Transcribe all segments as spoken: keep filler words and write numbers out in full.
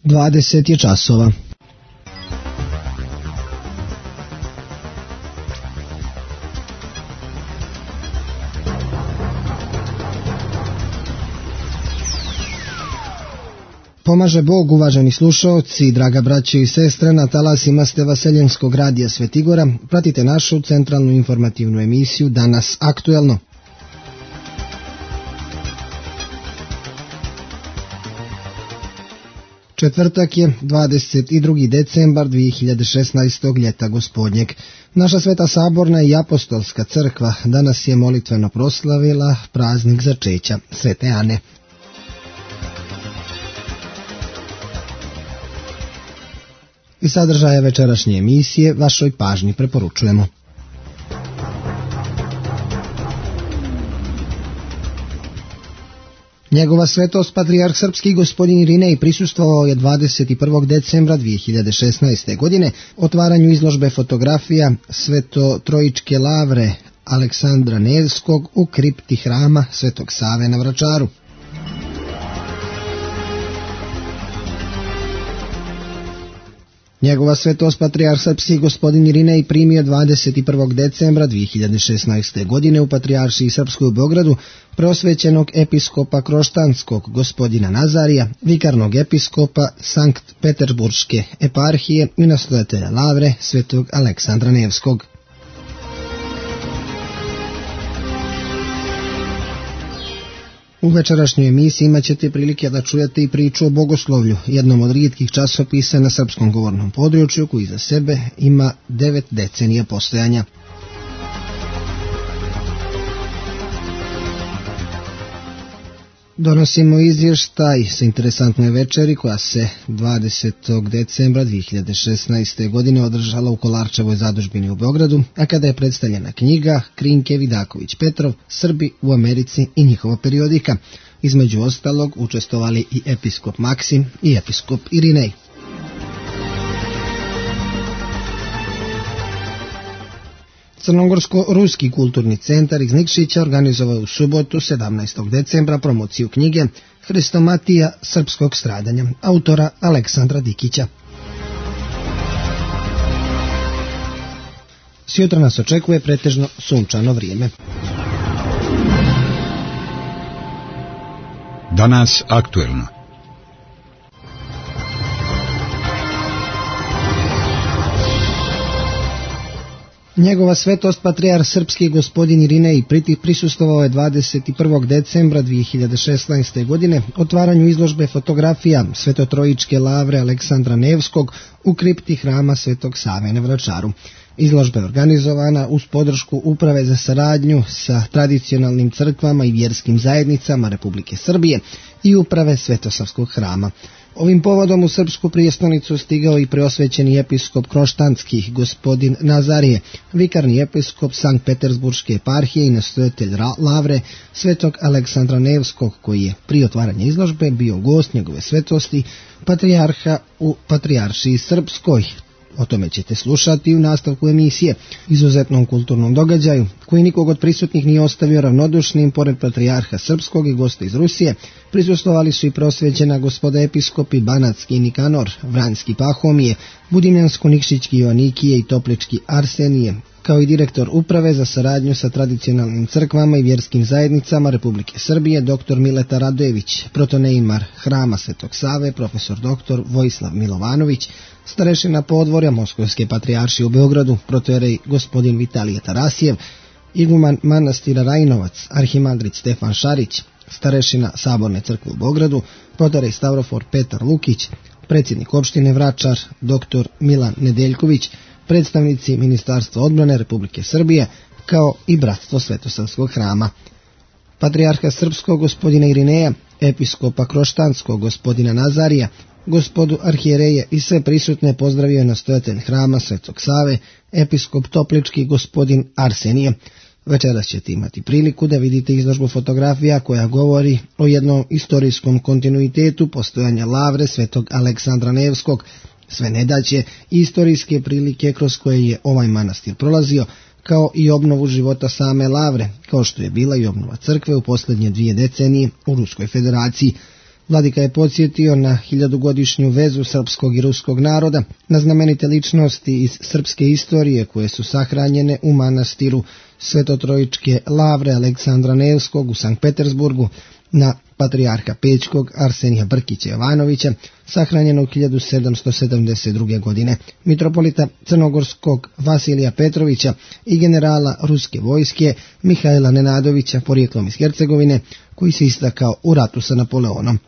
dvadeset je časova. Pomaže Bog, uvaženi slušaoci, draga braćo i sestre, na talasima ste Vaseljenskog radija Svetigora. Pratite našu centralnu informativnu emisiju Danas aktuelno. Četvrtak je dvadeset drugi decembar dvije hiljade šesnaestog ljeta gospodnjeg. Naša Sveta Saborna i Apostolska crkva danas je molitveno proslavila praznik začeća Svete Ane. I sadržaje večerašnje emisije vašoj pažnji preporučujemo. Njegova svetost patrijarh srpski gospodin Irinej prisustvovao je dvadeset prvog decembra dvije hiljade šesnaeste. godine otvaranju izložbe fotografija Sveto-Trojičke lavre Aleksandra Nevskog u kripti hrama Svetog Save na Vračaru. Njegova svetost patrijarh srpski gospodin Irinej primio dvadeset prvog decembra dvije hiljade šesnaeste. godine u Patrijaršiji srpskoj u Beogradu preosvećenog episkopa Kroštanskog gospodina Nazarija, vikarnog episkopa Sankt Peterburške eparhije i nastojatelja lavre Svetog Aleksandra Nevskog. U večerašnjoj emisiji imat ćete prilike da čujete i priču o bogoslovlju, jednom od rijetkih časopisa na srpskom govornom području koji za sebe ima devet decenija postojanja. Donosimo izvještaj sa interesantnoj večeri koja se dvadesetog decembra dvije hiljade šesnaeste. godine održala u Kolarčevoj zadužbini u Beogradu, a kada je predstavljena knjiga Krinke Vidaković Petrov, Srbi u Americi i njihova periodika. Između ostalog učestvovali i episkop Maksim i episkop Irinej. Crnogorsko-ruski kulturni centar iz Nikšića organizovao je u subotu sedamnaestog decembra promociju knjige Hrestomatija srpskog stradanja, autora Aleksandra Dikića. Sjutra nas očekuje pretežno sunčano vrijeme. Danas aktuelno. Njegova svetost patrijarh srpski gospodin Irinej prisustvovao je dvadeset prvog decembra dvije hiljade šesnaeste. godine otvaranju izložbe fotografija Sveto-Trojičke lavre Aleksandra Nevskog u kripti hrama Svetog Save na Vračaru. Izložba je organizovana uz podršku Uprave za saradnju sa tradicionalnim crkvama i vjerskim zajednicama Republike Srbije i Uprave Svetosavskog hrama. Ovim povodom u srpsku prijestolnicu stigao i preosvećeni episkop Kroštanskih gospodin Nazarije, vikarni episkop Sankt Peterburške eparhije i nastojatelj lavre Svetog Aleksandra Nevskog, koji je prije otvaranja izložbe bio gost njegove svetosti patrijarha u Patrijaršiji srpskoj. O tome ćete slušati u nastavku emisije, izuzetnom kulturnom događaju, koji nikog od prisutnih nije ostavio ravnodušnim. Pored patrijarha srpskog i gosta iz Rusije, prisustvovali su i prosvećena gospoda episkopi Banatski i Nikanor, Vranjski Pahomije, Budimljansko-Nikšićki Joanikije i Toplički Arsenije, kao i direktor Uprave za saradnju sa tradicionalnim crkvama i vjerskim zajednicama Republike Srbije, doktor Mileta Radojević, protoneimar hrama Svetog Save, profesor doktor Vojislav Milovanović, starešina podvorja Moskovske patrijaršije u Beogradu, protojerej gospodin Vitalije Tarasijev, iguman manastira Rajinovac, arhimandrit Stefan Šarić, starešina Saborne crkve u Beogradu, protojerej Stavrofor Petar Lukić, predsjednik opštine Vračar, doktor Milan Nedeljković, predstavnici Ministarstva odbrane Republike Srbije, kao i Bratstvo Svetosavskog hrama. Patrijarha srpskog gospodina Irineja, episkopa Kroštanskog gospodina Nazarija, gospodu arhijereje i sve prisutne pozdravio je nastojatelj hrama Svetog Save, episkop Toplički gospodin Arsenije. Večeras ćete imati priliku da vidite izložbu fotografija koja govori o jednom istorijskom kontinuitetu postojanja lavre Svetog Aleksandra Nevskog, sve nedaće i istorijske prilike kroz koje je ovaj manastir prolazio, kao i obnovu života same lavre, kao što je bila i obnova crkve u posljednje dvije decenije u Ruskoj federaciji. Vladika je podsjetio na hiljadugodišnju vezu srpskog i ruskog naroda, na znamenite ličnosti iz srpske istorije koje su sahranjene u manastiru Svetotrojičke lavre Aleksandra Nevskog u Sankt Petersburgu, na patrijarha Pećkog Arsenija Brkića Jovanovića, sahranjenog hiljadu sedamsto sedamdeset druge. godine, mitropolita crnogorskog Vasilija Petrovića i generala ruske vojske Mihajla Nenadovića, porijeklom iz Hercegovine, koji se istakao u ratu sa Napoleonom.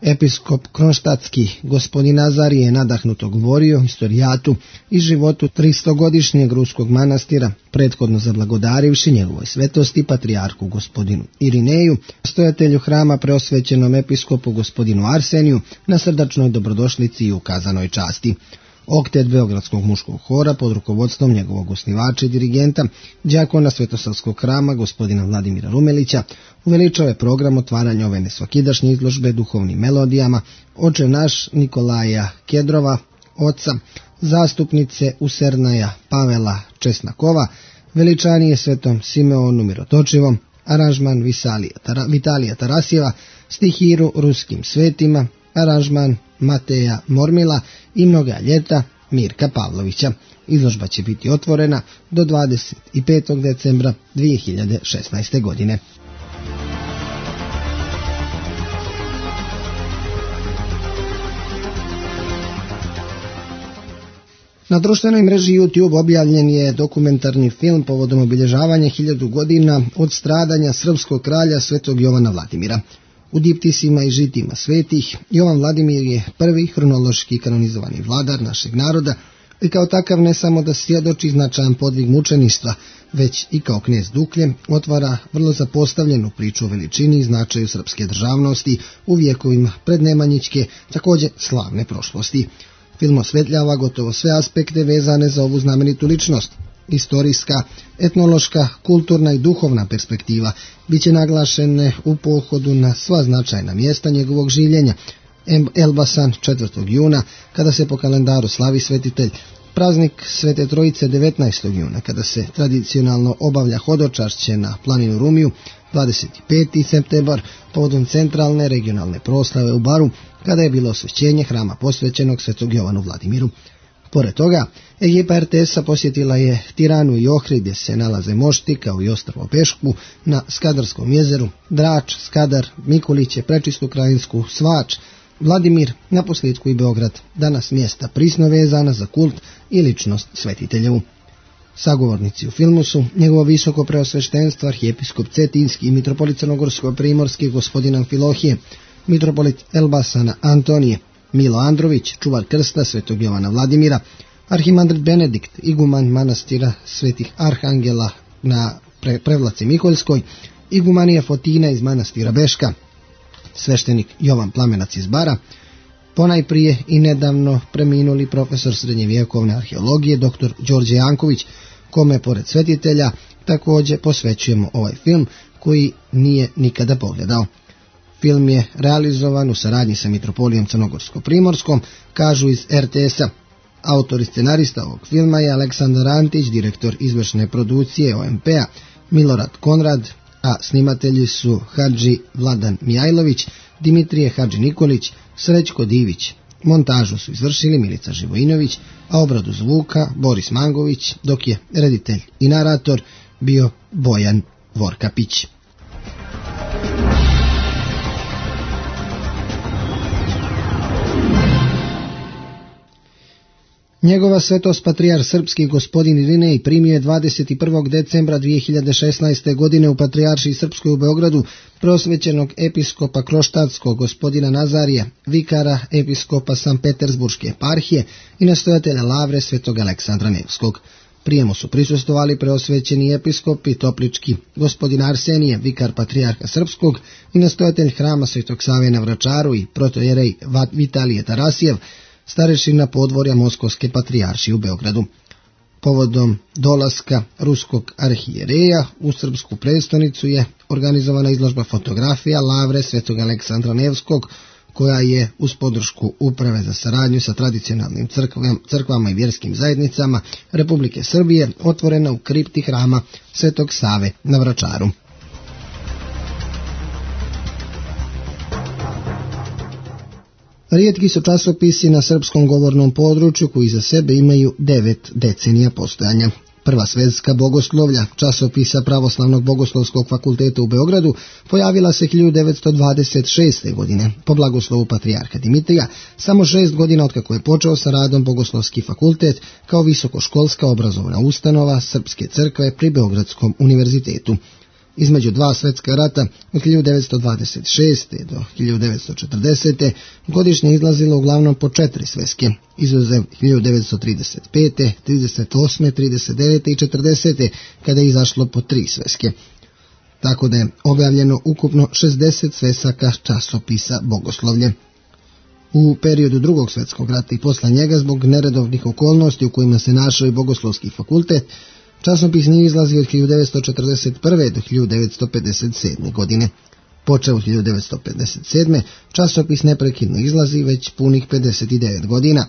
Episkop Kronštatski gospodin Nazarije je nadahnuto govorio historijatu i životu tristogodišnjeg ruskog manastira, prethodno zablagodarivši njegovoj svetosti patrijarhu gospodinu Irineju, stojatelju hrama preosvećenom episkopu gospodinu Arseniju, na srdačnoj dobrodošlici i ukazanoj časti. Oktet Beogradskog muškog hora pod rukovodstvom njegovog osnivača i dirigenta, đakona Svetosavskog hrama gospodina Vladimira Rumelića, uveličao je program otvaranja ove nesvakidašnje izložbe duhovnim melodijama Oče naš Nikolaja Kedrova, oca, zastupnice Usernaja Pavela Česnakova, veličanije Svetom Simeonu Mirotočivom, aranžman Vitalija Tarasjeva, stihiru ruskim svetima, aranžman Mateja Mormila i Mnoga ljeta Mirka Pavlovića. Izložba će biti otvorena do dvadeset petog decembra dvije hiljade šesnaeste. godine. Na društvenoj mreži YouTube objavljen je dokumentarni film povodom obilježavanja hiljadu godina od stradanja srpskog kralja Svetog Jovana Vladimira. U diptisima i žitima svetih, Jovan Vladimir je prvi hronološki kanonizovani vladar našeg naroda i kao takav ne samo da svjedoči značajan podvig mučeništva, već i kao knez Duklje otvara vrlo zapostavljenu priču o veličini i značaju srpske državnosti u vijekovima prednemanjićke, također slavne prošlosti. Film osvetljava gotovo sve aspekte vezane za ovu znamenitu ličnost. Istorijska, etnološka, kulturna i duhovna perspektiva biće naglašene u pohodu na sva značajna mjesta njegovog življenja. Elbasan četvrtog juna, kada se po kalendaru slavi svetitelj, praznik Svete Trojice devetnaestog juna, kada se tradicionalno obavlja hodočašće na planinu Rumiju, dvadeset peti septembar, povodom centralne regionalne proslave u Baru, kada je bilo osvećenje hrama posvećenog Svetog Jovanu Vladimiru. Pored toga, ekipa er te es-a posjetila je Tiranu i Ohrid, gdje se nalaze mošti kao i ostrvo Pešku na Skadarskom jezeru, Drač, Skadar, Mikuliće, Prečistu Krajinsku, Svač, Vladimir, naposljetku i Beograd, danas mjesta prisno vezana za kult i ličnost svetiteljevu. Sagovornici u filmu su njegovo visoko preosveštenstvo arhijepiskop Cetinski i mitropolit Crnogorsko-primorski gospodin Amfilohije, mitropolit Elbasana Antonije, Milo Andrović, čuvar krsta Svetog Jovana Vladimira, arhimandrit Benedikt, iguman manastira Svetih Arhangela na pre Prevlaci Mikoljskoj, igumanija Fotina iz manastira Beška, sveštenik Jovan Plamenac iz Bara, ponajprije i nedavno preminuli profesor srednjevjekovne arheologije dr. Đorđe Janković, kome pored svetitelja također posvećujemo ovaj film koji nije nikada pogledao. Film je realizovan u saradnji sa mitropolijom Crnogorsko-primorskom, kažu iz er te es-a. Autor i scenarista ovog filma je Aleksandar Antić, direktor izvršne produkcije o em pe-a Milorad Konrad, a snimatelji su Hadži Vladan Mijajlović, Dimitrije Hadži Nikolić, Srećko Divić. Montažu su izvršili Milica Živojinović, a obradu zvuka Boris Mangović, dok je reditelj i narator bio Bojan Vorkapić. Njegova svetost patrijar srpski gospodin Irinej primio je dvadeset prvog decembra dvije hiljade šesnaeste. godine u Patrijaršiji Srpskoj u Beogradu prosvećenog episkopa Kroštatskog gospodina Nazarija, vikara episkopa Sankt Petersburške eparhije i nastojatelja lavre Svetog Aleksandra Nevskog. Prijemu su prisustvovali preosvećeni episkop i toplički gospodin Arsenije, vikar patrijarha Srpskog i nastojatelj hrama Svetog Save na Vračaru i protojerej Vitalije Tarasjev, starešina podvorja Moskovske patrijaršije u Beogradu. Povodom dolaska ruskog arhijereja u srpsku prestonicu je organizovana izložba fotografija lavre Svetog Aleksandra Nevskog, koja je uz podršku Uprave za saradnju sa tradicionalnim crkvama, crkvama i vjerskim zajednicama Republike Srbije otvorena u kripti hrama Svetog Save na Vračaru. Rijetki su časopisi na srpskom govornom području koji za sebe imaju devet decenija postojanja. Prva svetska bogoslovlja, časopisa Pravoslavnog bogoslovskog fakulteta u Beogradu, pojavila se hiljadu devetsto dvadeset šeste. godine po blagoslovu patrijarha Dimitrija, samo šest godina otkako je počeo sa radom Bogoslovski fakultet kao visokoškolska obrazovna ustanova Srpske crkve pri Beogradskom univerzitetu. Između dva svetska rata od hiljadu devetsto dvadeset šeste. do hiljadu devetsto četrdesete. godišnje izlazilo uglavnom po četiri sveske, izuzev hiljadu devetsto trideset pete., trideset osme., trideset devete. i četrdesete. kada je izašlo po tri sveske. Tako da je objavljeno ukupno šezdeset svesaka časopisa Bogoslovlje. U periodu drugog svetskog rata i posle njega, zbog neredovnih okolnosti u kojima se našao i Bogoslovski fakultet, časopis nije izlazio od hiljadu devetsto četrdeset prve. do hiljadu devetsto pedeset sedme. godine. Počeo od hiljadu devetsto pedeset sedme. časopis neprekidno izlazi već punih pedeset devet godina.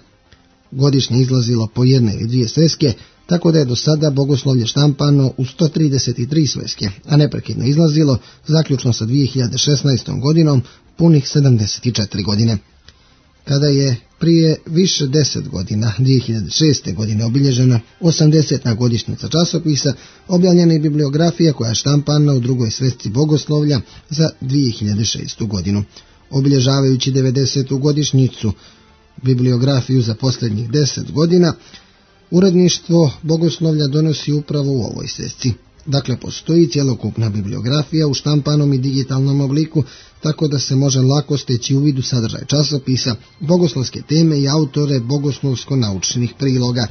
Godišnje izlazilo po jedne ili dvije sveske, tako da je do sada Bogoslovlje štampano u sto trideset tri sveske, a neprekidno izlazilo, zaključno sa dvije hiljade šesnaestom. godinom, punih sedamdeset četiri godine. Kada je prije više deset godina, dvije hiljade šeste. godine, obilježena osamdeseta. godišnjica časopisa, objavljena je bibliografija koja je štampana u drugoj svesci Bogoslovlja za dvije hiljade šestu. godinu. Obilježavajući devedesetu. godišnjicu, bibliografiju za posljednjih deset godina, uredništvo Bogoslovlja donosi upravo u ovoj svesci. Dakle, postoji cjelokupna bibliografija u štampanom i digitalnom obliku, tako da se može lako steći uvid u sadržaj časopisa, bogoslovske teme i autore bogoslovsko-naučnih priloga,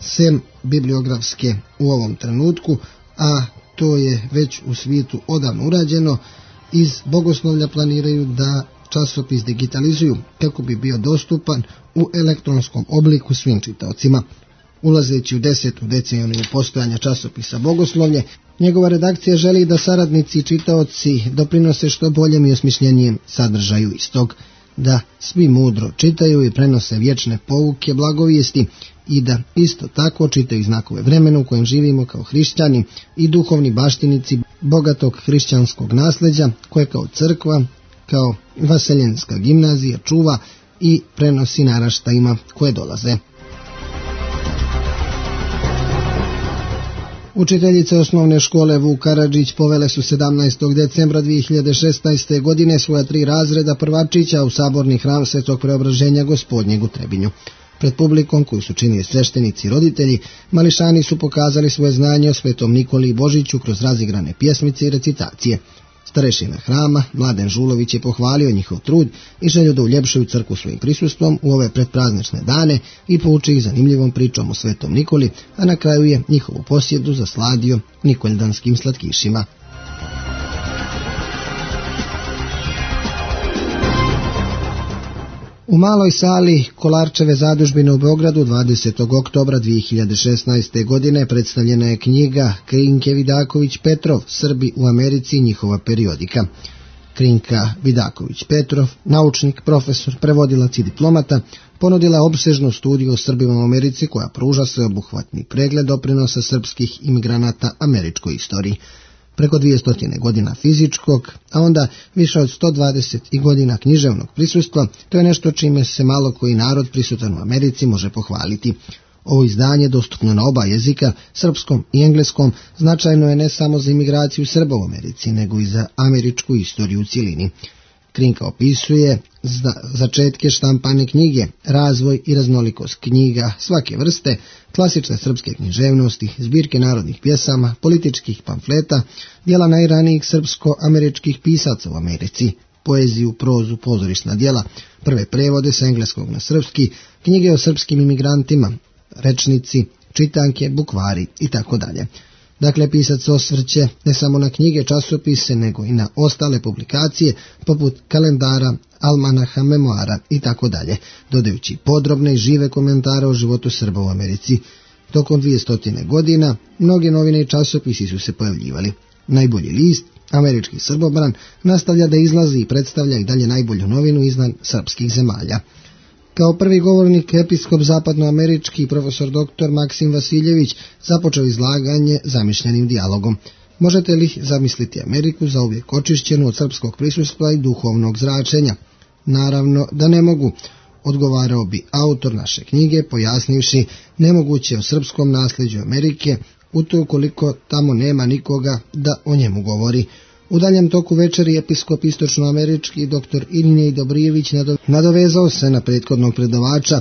sem bibliografske u ovom trenutku, a to je već u svijetu odavno urađeno. Iz Bogoslovlja planiraju da časopis digitalizuju kako bi bio dostupan u elektronskom obliku svim čitaocima. Ulazeći u desetu deceniju postojanja časopisa Bogoslovlje, njegova redakcija želi da saradnici i čitaoci doprinose što boljem i osmišljenijem sadržaju istog, da svi mudro čitaju i prenose vječne pouke blagovijesti i da isto tako čitaju znakove vremena u kojem živimo kao hrišćani i duhovni baštinici bogatog hrišćanskog nasljeđa koje kao crkva, kao vaseljenska gimnazija čuva i prenosi naraštajima koje dolaze. Učiteljice osnovne škole Vuk Karadžić povele su sedamnaestog decembra dvije hiljade šesnaeste. godine svoja tri razreda prvačića u saborni hram Svetog Preobraženja Gospodnjeg u Trebinju. Pred publikom koju su činili sveštenici i roditelji, mališani su pokazali svoje znanje o Svetom Nikoli i Božiću kroz razigrane pjesmice i recitacije. Starešina hrama, Mladen Žulović, je pohvalio njihov trud i želju da uljepšaju crkvu svojim prisustvom u ove predpraznične dane i pouči ih zanimljivom pričom o Svetom Nikoli, a na kraju je njihovu posjedu zasladio nikoldanskim slatkišima. U maloj sali Kolarčeve zadužbine u Beogradu dvadesetog oktobra dvije hiljade šesnaeste. godine predstavljena je knjiga Krinke Vidaković Petrov, Srbi u Americi i njihova periodika. Krinka Vidaković Petrov, naučnik, profesor, prevodilac i diplomata, ponudila opsežnu studiju o Srbima u Americi koja pruža sveobuhvatni pregled doprinosa srpskih imigranata američkoj istoriji. Preko dvjesto godina fizičkog, a onda više od sto dvadeset godina književnog prisustva, to je nešto čime se malo koji narod prisutan u Americi može pohvaliti. Ovo izdanje, dostupno na oba jezika, srpskom i engleskom, značajno je ne samo za imigraciju Srba u Americi, nego i za američku istoriju u cjelini. Krinka opisuje začetke štampane knjige, razvoj i raznolikost knjiga svake vrste, klasične srpske književnosti, zbirke narodnih pjesama, političkih pamfleta, djela najranijih srpsko-američkih pisaca u Americi, poeziju, prozu, pozorišna djela, prve prevode sa engleskog na srpski, knjige o srpskim imigrantima, rečnici, čitanke, bukvari i tako dalje. Dakle, pisac osvrće ne samo na knjige, časopise, nego i na ostale publikacije, poput kalendara, almanaha, memoara i tako dalje, dodajući podrobne i žive komentare o životu Srba u Americi. Tokom dvjesto godina, mnoge novine i časopisi su se pojavljivali. Najbolji list, Američki Srbobran, nastavlja da izlazi i predstavlja i dalje najbolju novinu iznad srpskih zemalja. Kao prvi govornik episkop zapadnoamerički profesor doktor Maksim Vasiljević započeo izlaganje zamišljenim dijalogom. Možete li zamisliti Ameriku zauvijek očišćenu od srpskog prisustva i duhovnog zračenja? Naravno da ne mogu, odgovarao bi autor naše knjige, pojasnivši nemoguće o srpskom nasljeđu Amerike, u to ukoliko tamo nema nikoga da o njemu govori. U daljem toku večeri episkop istočnoamerički dr. Irinej Dobrijević nadovezao se na prethodnog predavača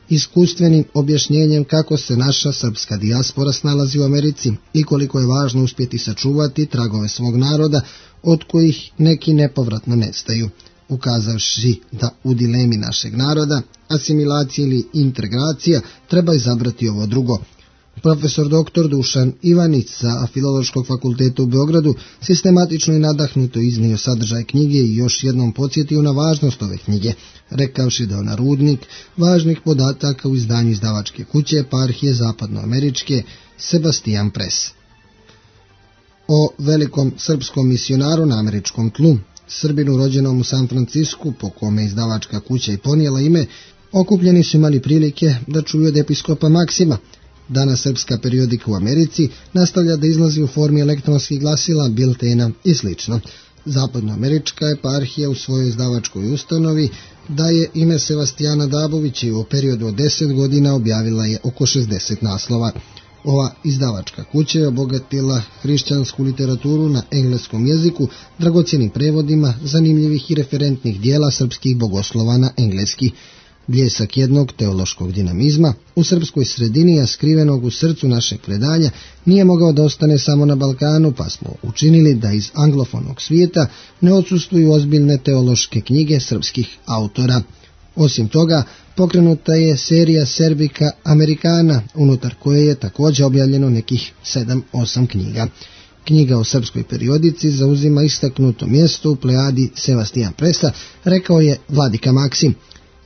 iskustvenim objašnjenjem kako se naša srpska dijaspora snalazi u Americi i koliko je važno uspjeti sačuvati tragove svog naroda od kojih neki nepovratno nestaju, ukazavši da u dilemi našeg naroda, asimilacija ili integracija, treba izabrati ovo drugo. Profesor doktor Dušan Ivanić sa Filološkog fakulteta u Beogradu sistematično i nadahnuto iznio sadržaj knjige i još jednom podsjetio na važnost ove knjige, rekavši da je ona rudnik važnih podataka u izdanju izdavačke kuće eparhije zapadnoameričke Sebastian Press. O velikom srpskom misionaru na američkom tlu, Srbinu rođenom u San Francisku, po kome izdavačka kuća i ponijela ime, okupljeni su imali prilike da čuju od episkopa Maksima. Danas srpska periodika u Americi nastavlja da izlazi u formi elektronskih glasila, biltena i sl. Zapadnoamerička eparhija u svojoj izdavačkoj ustanovi daje ime Sebastijana Dabovića i u periodu od deset godina objavila je oko šezdeset naslova. Ova izdavačka kuća je obogatila hrišćansku literaturu na engleskom jeziku dragocjenim prevodima zanimljivih i referentnih dijela srpskih bogoslova na engleski. Bljesak jednog teološkog dinamizma u srpskoj sredini, a skrivenog u srcu našeg predanja, nije mogao da ostane samo na Balkanu, pa smo učinili da iz anglofonog svijeta ne odsustvuju ozbiljne teološke knjige srpskih autora. Osim toga, pokrenuta je serija Serbica Americana, unutar koje je također objavljeno nekih sedam osam knjiga. Knjiga o srpskoj periodici zauzima istaknuto mjesto u plejadi Sebastian Pressa, rekao je vladika Maksim.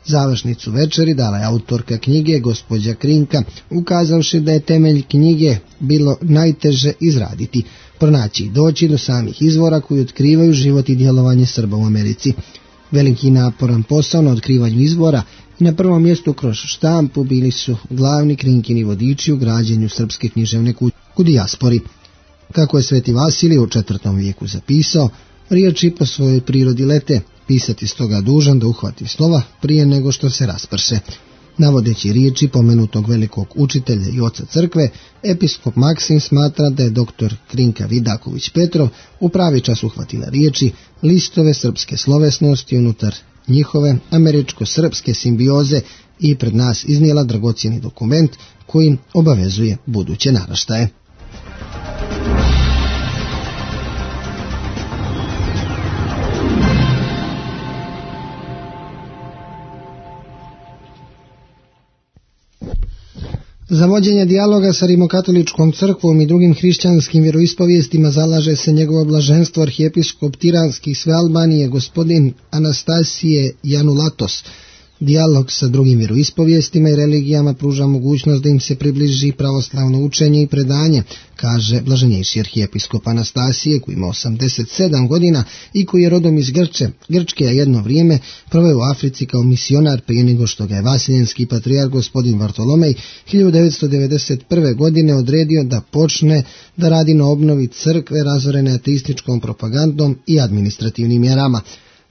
Završnicu večeri dala je autorka knjige, gospođa Krinka, ukazavši da je temelj knjige bilo najteže izraditi, pronaći i doći do samih izvora koji otkrivaju život i djelovanje Srba u Americi. Veliki naporan posao na otkrivanju izvora i na prvom mjestu kroz štampu bili su glavni Krinkini vodiči u građenju srpske književne kuće u dijaspori. Kako je Sveti Vasilij u četvrtom vijeku zapisao, riječi po svojoj prirodi lete, pisati stoga dužan da uhvati slova prije nego što se rasprše. Navodeći riječi pomenutog velikog učitelja i oca crkve, episkop Maksim smatra da je doktor Krinka Vidaković Petrov u pravi čas uhvatila riječi, listove srpske slovesnosti unutar njihove američko-srpske simbioze i pred nas iznijela dragocjeni dokument koji obavezuje buduće naraštaje. Za vođenje dijaloga sa rimokatoličkom crkvom i drugim hrišćanskim vjeroispovijestima zalaže se njegovo blaženstvo arhijepiskop Tiranski sve Albanije gospodin Anastasije Janulatos. Dijalog sa drugim vjeroispovijestima i religijama pruža mogućnost da im se približi pravoslavno učenje i predanje, kaže blaženjejši arhijepiskop Anastasije, koji ima osamdeset sedam godina i koji je rodom iz Grče, Grčke, a jedno vrijeme proveo u Africi kao misionar prije nego što ga je vasiljenski patrijarh gospodin Vartolomej hiljadu devetsto devedeset prve. godine odredio da počne da radi na obnovi crkve razorene ateističkom propagandom i administrativnim mjerama.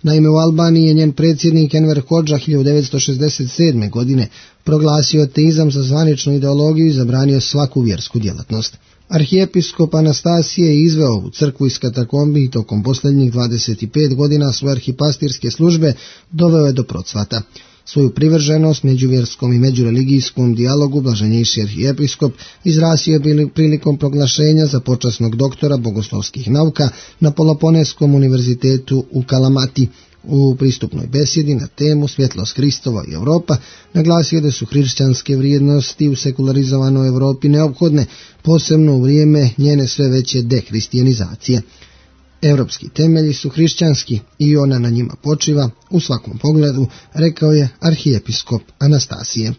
Naime, u Albaniji je njen predsjednik Enver Hodža hiljadu devetsto šezdeset sedme. godine proglasio ateizam za zvaničnu ideologiju i zabranio svaku vjersku djelatnost. Arhijepiskop Anastasije je izveo u crkvu iz katakombi i tokom posljednjih dvadeset pet godina svoje arhipastirske službe doveo je do procvata. Svoju privrženost međuvjerskom i međureligijskom dijalogu blaženjejši arhijepiskop izrazio je prilikom proglašenja za počasnog doktora bogoslovskih nauka na Peloponeskom univerzitetu u Kalamati. U pristupnoj besjedi na temu Svjetlost Hristova i Europa naglasio da su hrišćanske vrijednosti u sekularizovanoj Europi neophodne, posebno u vrijeme njene sve veće dehristijanizacije. Europski temelji su hrišćanski i ona na njima počiva u svakom pogledu, rekao je arhijepiskop Anastasije.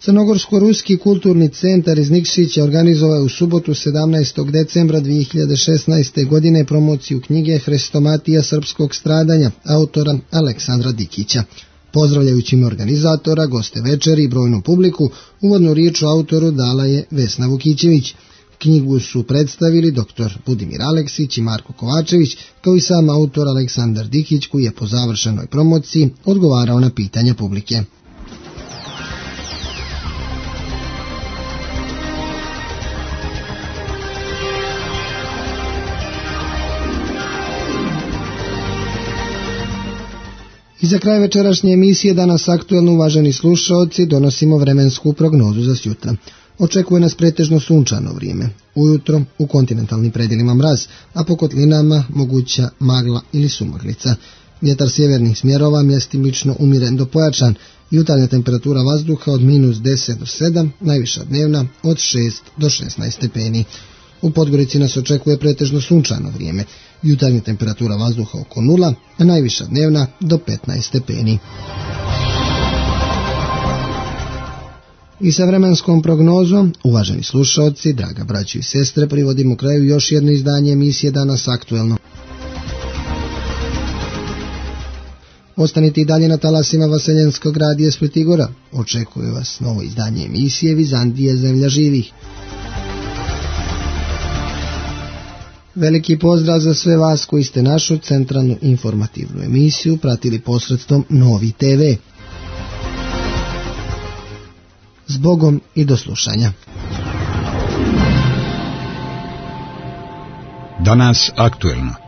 Crnogorsko-ruski kulturni centar iz Nikšića organizovao je u subotu sedamnaestog decembra dvije hiljade šesnaeste. godine promociju knjige Hrestomatija srpskog stradanja autora Aleksandra Dikića. Pozdravljajući ime organizatora, goste večeri i brojnu publiku, uvodnu riječ o autoru dala je Vesna Vukićević. Knjigu su predstavili doktor Budimir Aleksić i Marko Kovačević, kao i sam autor Aleksandar Dikić, koji je po završenoj promociji odgovarao na pitanja publike. I za kraj večerašnje emisije Danas aktuelno, uvaženi slušaoci, donosimo vremensku prognozu za sjutra. Očekuje nas pretežno sunčano vrijeme. Ujutro u kontinentalnim predjelima mraz, a po kotlinama moguća magla ili sumaglica. Vjetar sjevernih smjerova mjestimično umiren do pojačan. Jutarnja temperatura vazduha od minus deset do sedam, najviša dnevna od šest do šesnaest stepeni. U Podgorici nas očekuje pretežno sunčano vrijeme. Jutarnja temperatura vazduha oko nula, a najviša dnevna do petnaest stepeni. I sa vremenskom prognozom, uvaženi slušaoci, draga braćo i sestre, privodimo kraju još jedno izdanje emisije Danas aktuelno. Ostanite i dalje na talasima Vaseljenskog radija Split i Gora. Očekuje vas novo izdanje emisije Vizantije, zemlja živih. Veliki pozdrav za sve vas koji ste našu centralnu informativnu emisiju pratili posredstvom Novi te ve. Zbogom i do slušanja. Danas aktuelno.